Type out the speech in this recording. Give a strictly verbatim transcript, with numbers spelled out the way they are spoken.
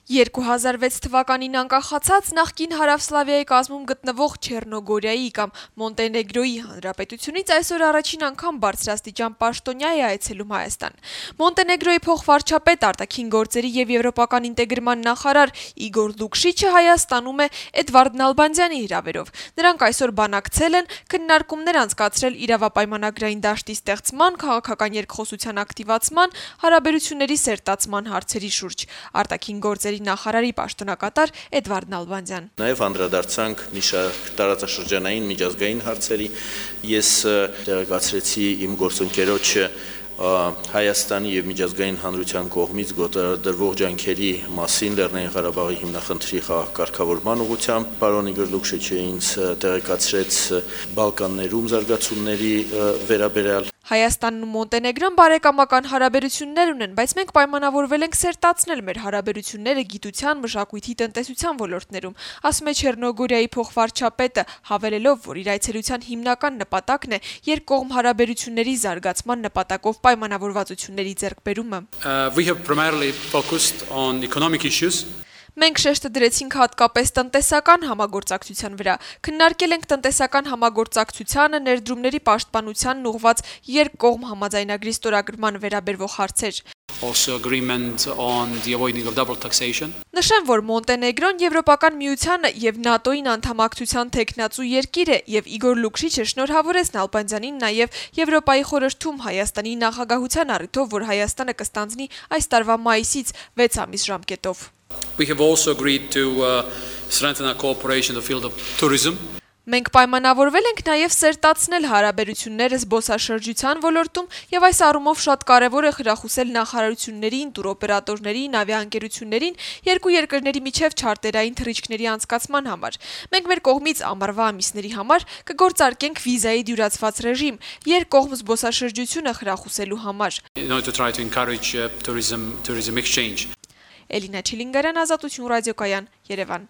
երկու հազար վեց թվականին անկախացած նախկին Հարավսլավիայի կազմում գտնվող Չեռնոգորիայի կամ Մոնտենեգրոյի հանրապետությունից այսօր առաջին անգամ բարձրաստիճան պաշտոնյա է այցելում Հայաստան։ Մոնտենեգրոյի փոխվարչապետ, արտաքին գործերի եւ եվրոպական ինտեգրման նախարար Իգոր Լուկշիչը Հայաստանում է Էդվարդ Նալբանդյանի հրավերով։ Նրանք այսօր բանակցել են, քննարկումներ անցկացրել իրավապայմանագրային դաշտի ստեղծման, քաղաքական երկխոսության ակտիվացման, հարաբերությունների սերտացման հարցերի շուրջ։ Արտաքին գործերի նախարարի պաշտոնակատար Էդվարդ Նալբանդյան։ Նաև անդրադարձանք մի շարք տարածաշրջանային միջազգային հարցերի։ Ես տեղեկացրեցի իմ գործընկերոջը Հայաստանի եւ միջազգային հանրության կողմից գործադրվող ջանքերի մասին Լեռնային Ղարաբաղի հիմնախնդրի կարգավորման ուղղությամբ։ Պարոն Իգոր Լուկշիչը ինձ տեղեկացրեց Բալկաններում զարգացումների վերաբերյալ։ Հայաստանն ու Մոնտենեգրոն բարեկամական հարաբերություններ ունեն, բայց մենք պայմանավորվել ենք սերտացնել մեր հարաբերությունները գիտության, մշակույթի, տնտեսության ոլորտներում, ասում է Չեռնոգորիայի փոխվարչապետը, հավելելով, որ իր այցելության հիմնական նպատակն է երկկողմ հարաբերությունների զարգացման նպատակով պայմանավորվածությունների ձեռքբերումը։ We have primarily focused on economic issues. Մենք շեշտը դրեցինք հատկապես տնտեսական համագործակցության վրա, քննարկել ենք տնտեսական համագործակցությանը, ներդրումների պաշտպանությանն ուղղված երկկողմ համաձայնագրի ստորագրման վերաբերվող հարցեր։ Also agreement on the avoiding of double taxation. Նշեմ, որ Մոնտենեգրոն Եվրոպական միությանը եւ ՆԱՏՕ-ին անդամակցության թեկնածու երկիր է եւ Իգոր Լուկշիչը շնորհավորեց Նալբանդյանին նաեւ Եվրոպայի խորհրդում Հայաստանի նախագահության առիթով, որ Հայաստանը կստանձնի այս տարվա մայիսից վեց ամիս ժամկետով։ We have also agreed to uh, strengthen our cooperation in the field of tourism. Մենք պայմանավորվել ենք նաև սերտացնել հարաբերությունները զբոսաշրջության ոլորտում եւ այս առումով շատ կարեւոր է խրախուսել նախարարություններին, տուրօպերատորներին, ավիաընկերություններին երկու երկրների միջև չարտերային թռիչքների անցկացման համար։ Մենք մեր կողմից ամառվա ամիսների համար կգործարկենք վիզայի դյուրացված ռեժիմ երկկողմ զբոսաշրջությունը խրախուսելու համար։ In order to try to encourage uh, tourism tourism exchange. Էլինա Չիլինգարյան, Ազատություն ռադիոկայան, Երևան։